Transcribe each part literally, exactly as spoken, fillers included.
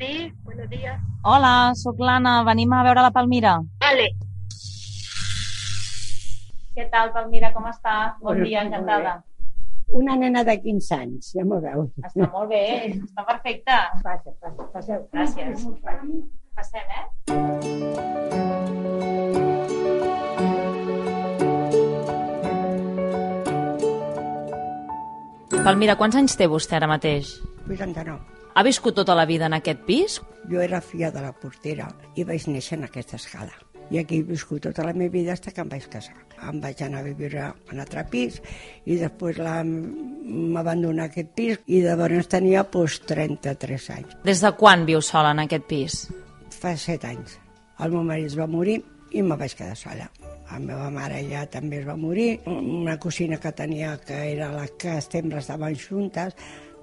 Sí, buenos días. Hola, sóc l'Anna. Venim a veure la Palmira. Vale. Què tal, Palmira? Com està? Bon Bueno, dia, molt encantada. Una nena de quinze anys, ja m'ho veu. Està molt bé, està perfecte. Passa, passa, passeu. Gràcies. Passem, eh? Palmira, quants anys té vostè ara mateix? vuitanta-nou. Ha viscut tota la vida en aquest pis? Jo era filla de la portera i vaig néixer en aquesta escala. I aquí he viscut tota la meva vida fins que em vaig casar. Em vaig anar a viure en un altre pis i després la... m'abandonar aquest pis i llavors tenia pues, trenta-tres anys. Des de quan viu sola en aquest pis? Fa set anys. El meu marit es va morir i me vaig quedar sola. La meva mare ja també es va morir. Una cosina que tenia, que era la que sempre estaven juntes,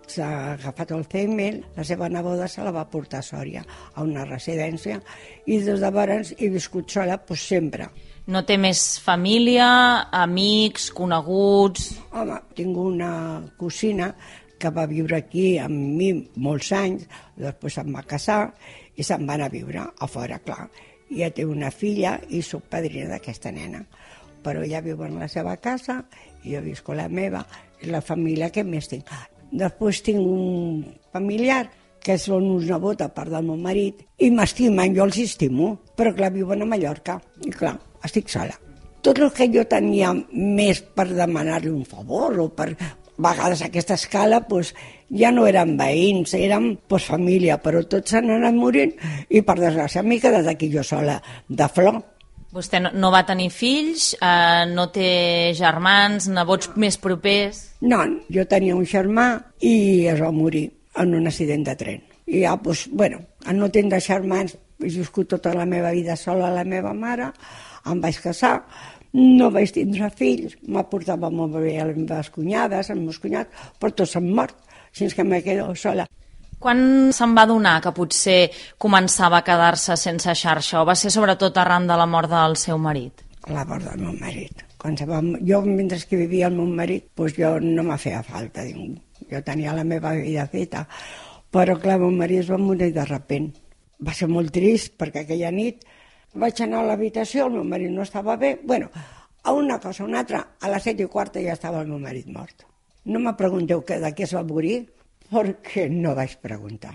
s'ha agafat Alzheimer, la seva neboda se la va portar a Sòria, a una residència, i des de llavors he viscut sola pues, sempre. No té més família, amics, coneguts? Home, tinc una cosina que va viure aquí amb mi molts anys, després se'n va casar i se'n va anar a viure a fora, clar. I ja té una filla i soc padrina d'aquesta nena. Però ella viu en la seva casa i jo visco la meva, i la família que més tinc. Després tinc un familiar que són uns nebot a part del meu marit i m'estimen, jo els estimo, però clar, viuen a Mallorca i clar, estic sola. Tot el que jo tenia més per demanar-li un favor o per a vegades a aquesta escala pues, ja no eren veïns, eren pues, família, però tots s'han anat morint i per desgràcia m'he quedat aquí jo sola de flor. Vostè no, no va tenir fills, eh, no té germans, nebots més propers? No, jo tenia un germà i es va morir en un accident de tren. I ja, doncs, bueno, en no tenir germans, he viscut tota la meva vida sola a la meva mare, em vaig casar, no vaig tindre fills, m'aportava molt bé a les meves cunyades, als meus cunyats, però tots s'han mort, així que m'he quedat sola. Quan se'n va adonar que potser començava a quedar-se sense xarxa o va ser sobretot arran de la mort del seu marit? La mort del meu marit. Quan se va... Jo, mentre que vivia el meu marit, doncs jo no m'ha feia falta. Jo tenia la meva vida feta. Però, clar, el meu marit es va morir de repent. Va ser molt trist perquè aquella nit vaig anar a l'habitació, el meu marit no estava bé. Bueno, a una cosa o una altra, a les set i quarta ja estava el meu marit mort. No me pregunteu que de què es va morir, perquè no vaig preguntar.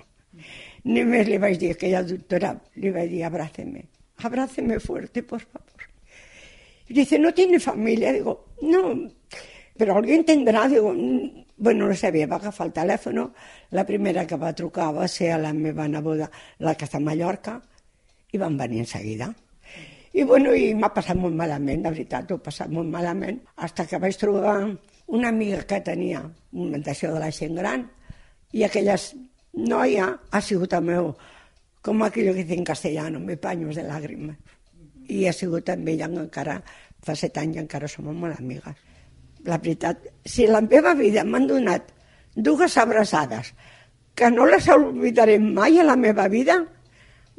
Només li vaig dir a aquella doctora, li vaig dir, abráceme, abráceme fuerte, por favor. Y dice, ¿no tiene familia? Digo, no, pero alguien tendrá. Digo, bueno, no sabia, va agafar el telèfon. La primera que va trucar va ser a la meva neboda, la que està a Mallorca, i van venir en seguida. I bueno, i m'ha passat molt malament, de veritat, ho he passat molt malament, fins que vaig trobar una amiga que tenia una d'això de la gent gran, i aquella noia ha sigut el meu, com aquello que dice en castellano, me paños de lágrimas. I ha sigut amb ella encara, fa set anys encara som molt amigues. La veritat, si la meva vida m'han donat dues abraçades que no les oblidaré mai a la meva vida,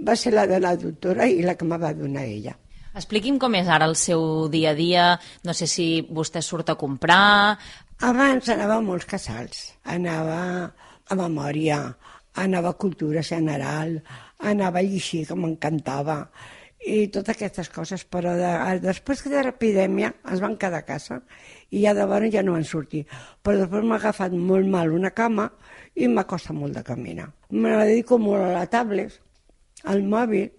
va ser la de la doctora i la que me va donar ella. Expliqui'm com és ara el seu dia a dia, no sé si vostè surt a comprar... Abans anava a molts casals, anava a memòria, anava a cultura general, anava a llegir, que m'encantava, i totes aquestes coses, però de, després de l'epidèmia ens van quedar a casa i ja de bona ja no van sortir. Però després m'ha agafat molt mal una cama i m'ha costat molt de caminar. Me dedico molt a la tablet, al mòbil.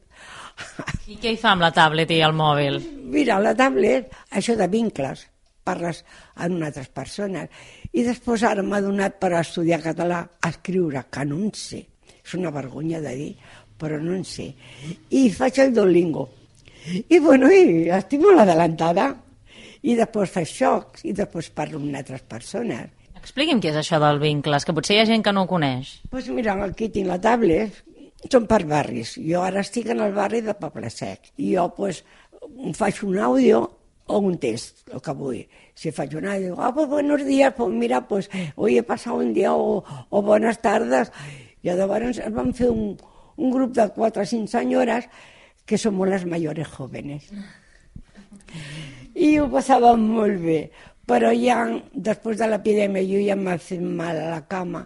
I què hi fa amb la tablet i el mòbil? Mira, la tablet, això de vincles, parles amb altres persones. I després ara m'ha donat per estudiar català, a escriure, que no en sé. És una vergonya de dir, però no en sé. I faig el Duolingo. I bueno, i estic molt adelantada. I després faig xocs, i després parlo amb altres persones. Expliqui'm què és això del vincles, que potser hi ha gent que no ho coneix. Doncs pues mira, aquí tinc la tablet, són per barris. Jo ara estic en el barri de Poble Sec. I jo pues, faig un àudio o un test, el que vull. Si faig un àudio, digo, ah, pues buenos días, pues mira, pues hoy he pasado un día o, o buenas tardes. I llavors vam fer un, un grup de quatre o cinc senyores que som les mayores jóvenes. I ho passàvem molt bé. Però ja, després de l'epidèmia, jo ja m'ha fet mal a la cama.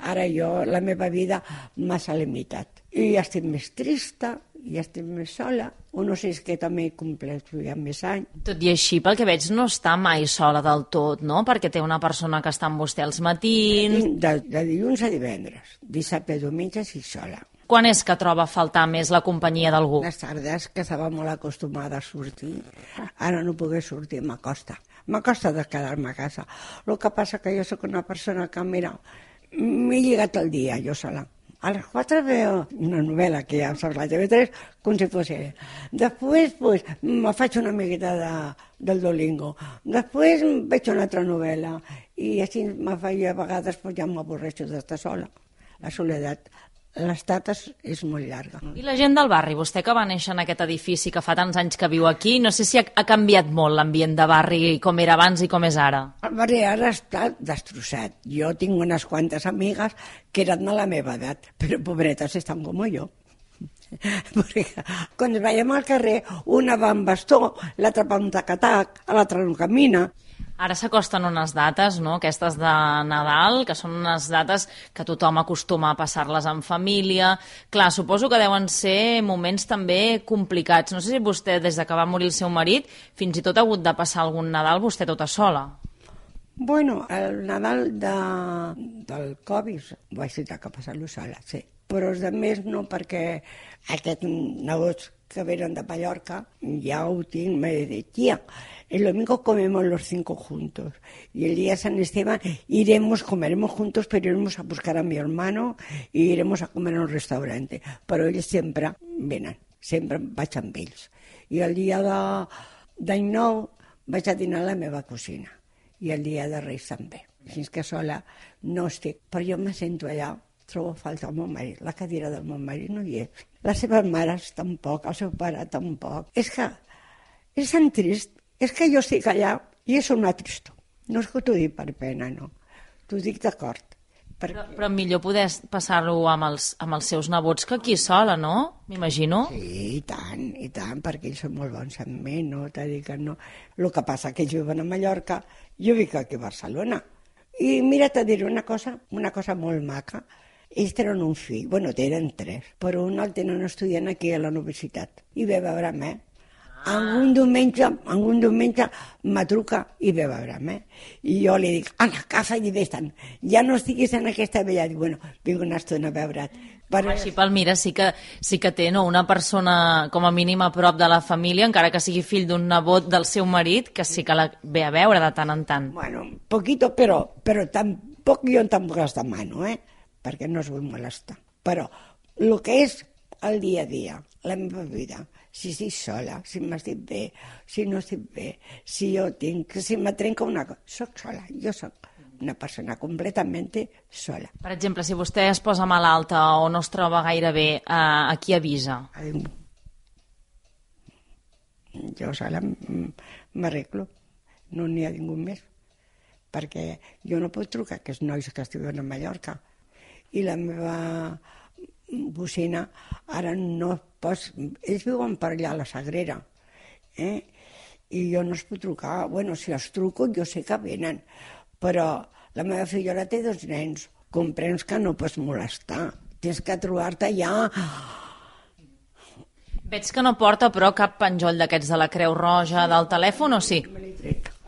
Ara jo, la meva vida m'ha limitat. i ja estic més trista, ja estic més sola, o no sé, és que també he complert ja més anys. Tot i així, pel que veig, no està mai sola del tot, no? Perquè té una persona que està amb vostè als matins... De, de dilluns a divendres, dissabte i diumenge sí sola. Quan és que troba a faltar més la companyia d'algú? Les tardes, que estava molt acostumada a sortir, ara no poder sortir, m'acosta. M'acosta de quedar-me a casa. El que passa que jo sóc una persona que, mira, m'he lligat el dia, jo sola. A les quatre veo una novel·la que ja saps la T V tres, com si fos ella. Després, pues, me faig una miqueta de, del Duolingo. Després veig una altra novel·la. I així me faig, a vegades pues, ja m'avorreixo d'estar sola. La soledat, l'estat és, és molt llarga. I la gent del barri, vostè que va néixer en aquest edifici, que fa tants anys que viu aquí, no sé si ha, ha canviat molt l'ambient de barri, com era abans i com és ara. El barri ara està destrossat. Jo tinc unes quantes amigues que eren de la meva edat, però pobretes estan com jo. Perquè quan veiem al carrer, una va amb bastó, l'altra va amb tac-a-tac, l'altra no camina. Ara s'acosten unes dates, no?, aquestes de Nadal, que són unes dates que tothom acostuma a passar-les en família. Clar, suposo que deuen ser moments també complicats. No sé si vostè, des de que va morir el seu marit, fins i tot ha hagut de passar algun Nadal vostè tota sola. Bueno, el Nadal de, del Covid vaig tenir que passar-lo sola, sí. Però els altres no, perquè aquests nebots que venen de Mallorca ja ho tinc, m'he dit, tia, el domingo comemos los cinco juntos y el día de San Esteban iremos, comeremos juntos, pero iremos a buscar a mi hermano y iremos a comer a un restaurante. Però ells sempre venen, sempre vaig amb ells. I el dia d'any nou vaig a dinar a la meva cosina i el dia de Reis també. Així que sola no estic, però jo me sento allà, trobo falta el meu marit, la cadira del meu marit no hi és. Les seves mares tampoc, el seu pare tampoc. És que és tan trist. És que jo estic allà i és una tristor. No és que t'ho dic per pena, no. T'ho dic d'acord. Perquè... Però, però millor poder passar-ho amb, els, amb els seus nebots que aquí sola, no? M'imagino. Sí, i tant, i tant, perquè ells són molt bons amb mi, no? T'ha dit que no. El que passa que ells viuen a Mallorca, jo vic aquí a Barcelona. I mira, t'ha dit una cosa, una cosa molt maca. Ells tenen un fill, bueno, tenen tres, però un el tenen estudiant aquí a la universitat. I ve a veure'm, eh? Algun diumenge, algun diumenge me truca i ve a veure'm, eh? I jo li dic, a la casa i vés-te'n, ja no estiguis en aquesta vella. Dic, bueno, vinc una estona a veure't. Però... Així, Palmira, sí que, sí que té, no?, una persona com a mínim a prop de la família, encara que sigui fill d'un nebot del seu marit, que sí que la ve a veure de tant en tant. Bueno, poquito, però, però tampoc jo tampoc els demano, eh? Perquè no es vull molestar. Però el que és el dia a dia, la meva vida, si estic sola, si m'estic bé, si no estic bé, si jo tinc, si me trenca una cosa, soc sola, jo soc una persona completament sola. Per exemple, si vostè es posa malalta o no es troba gaire bé, eh, a qui avisa? A ningú. Jo sola m'arreglo, no n'hi ha ningú més, perquè jo no puc trucar a aquests nois que estiven a Mallorca i la meva bocina ara no pots... Ells viuen per allà a la Sagrera, eh? I jo no es puc trucar. Bueno, si els truco jo sé que venen, però la meva fillola té dos nens. Comprens que no pots molestar. Tens que trobar-te allà. Veig que no porta, però, cap penjoll d'aquests de la Creu Roja del telèfon, o sí?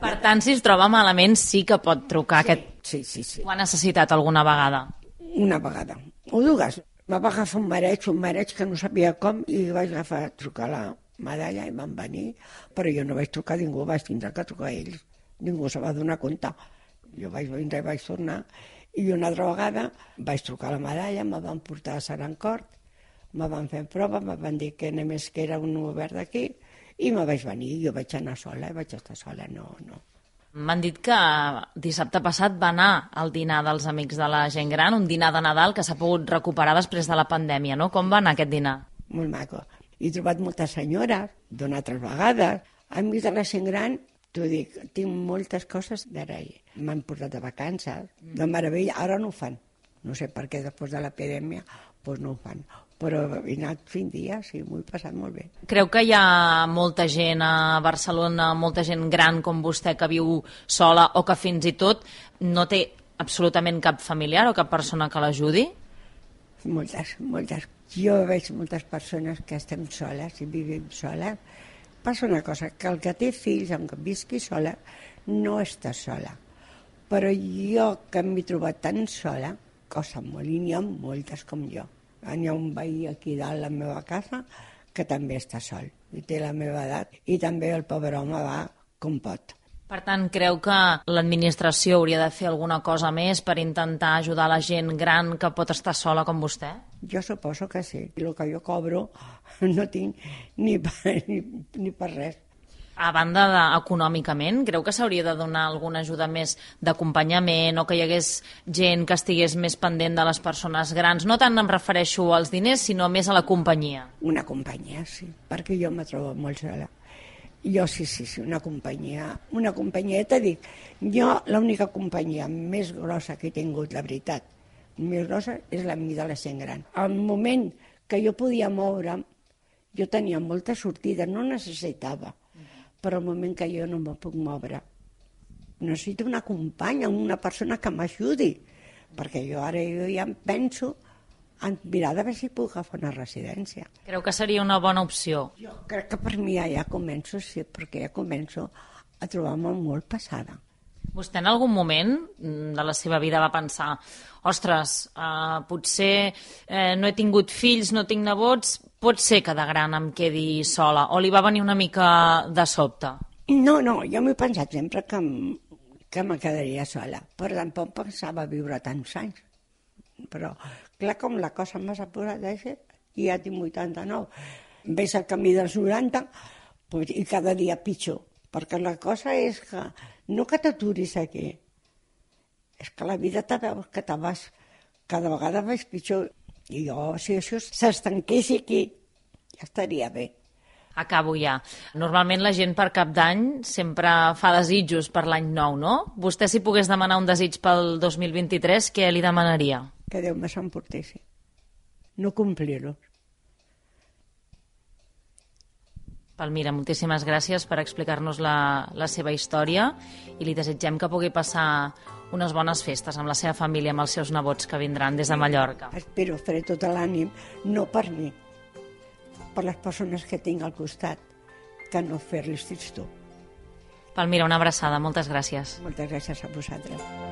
Per tant, si es troba malament, sí que pot trucar. Sí, aquest... sí, sí, sí. Ho ha necessitat alguna vegada? Una vegada. O dues. Me va agafar un mareig, un mareig que no sabia com, i vaig agafar a trucar la medalla i van venir, però jo no vaig trucar a ningú, vaig tindre que trucar a ells. Ningú se va donar compte. Jo vaig vindre i vaig tornar, i una altra vegada vaig trucar a la medalla, me van portar a Sarancort, me van fer prova, me van dir que només que era un obert d'aquí, i me vaig venir, jo vaig anar sola, i vaig estar sola, no, no. M'han dit que dissabte passat va anar al dinar dels Amics de la Gent Gran, un dinar de Nadal que s'ha pogut recuperar després de la pandèmia, no? Com va anar aquest dinar? Molt maco. He trobat moltes senyores, d'una altres vegades. Amics de la Gent Gran, t'ho dic, tinc moltes coses d'agrair. M'han portat de vacances, de meravella, ara no ho fan. No sé per què després de l'epidèmia doncs no ho fan. Però he anat cinc dies i m'ho he passat molt bé. Creu que hi ha molta gent a Barcelona, molta gent gran com vostè que viu sola o que fins i tot no té absolutament cap familiar o cap persona que l'ajudi? Moltes, moltes. Jo veig moltes persones que estem soles i vivim soles. Passa una cosa, que el que té fills, aunque visqui sola, no està sola. Però jo, que m'he trobat tan sola, cosa molt, i n'hi ha moltes com jo. Hi ha un veí aquí dalt a la meva casa que també està sol, i té la meva edat, i també el pobre home va com pot. Per tant, creu que l'administració hauria de fer alguna cosa més per intentar ajudar la gent gran que pot estar sola com vostè? Jo suposo que sí. I el que jo cobro no tinc ni per, ni, ni per res. A banda de, econòmicament, creu que s'hauria de donar alguna ajuda més d'acompanyament o que hi hagués gent que estigués més pendent de les persones grans? No tant em refereixo als diners, sinó més a la companyia. Una companyia, sí, perquè jo me trobo molt sola. Jo sí, sí, sí, una companyia. Una companyia, t'he dit, jo l'única companyia més grossa que he tingut, la veritat, més grossa, és la de la gent gran. Al moment que jo podia moure'm, jo tenia molta sortida, no necessitava, però al moment que jo no me puc moure, necessito una companya, una persona que m'ajudi, perquè jo ara jo ja em penso en mirar de veure si puc agafar una residència. Creu que seria una bona opció? Jo crec que per mi ja, ja començo, sí, perquè ja començo a trobar-me molt passada. Vostè en algun moment de la seva vida va pensar ostres, eh, potser eh, no he tingut fills, no tinc nebots, pot ser que de gran em quedi sola, o li va venir una mica de sobte? No, no, jo m'he pensat sempre que, que me quedaria sola, però tampoc pensava viure tants anys. Però, clar, com la cosa m'ha apurat així, i ja tinc vuitanta-nou, ves al camí dels noranta, pues, i cada dia pitjor, perquè la cosa és que no que t'aturis aquí, és que la vida te veus que te vas, cada vegada vas pitjor, i jo, si això s'estanqués aquí, ja estaria bé. Acabo ja. Normalment la gent per Cap d'Any sempre fa desitjos per l'any nou, no? Vostè, si pogués demanar un desig pel dos mil vint-i-tres, què li demanaria? Que Déu me s'emportessi. No complir-los. Palmira, moltíssimes gràcies per explicar-nos la, la seva història i li desitgem que pugui passar unes bones festes amb la seva família, amb els seus nebots que vindran des de Mallorca. Espero fer tot l'ànim, no per mi, per les persones que tinc al costat, que no fer-los tristor. Palmira, una abraçada, moltes gràcies. Moltes gràcies a vosaltres.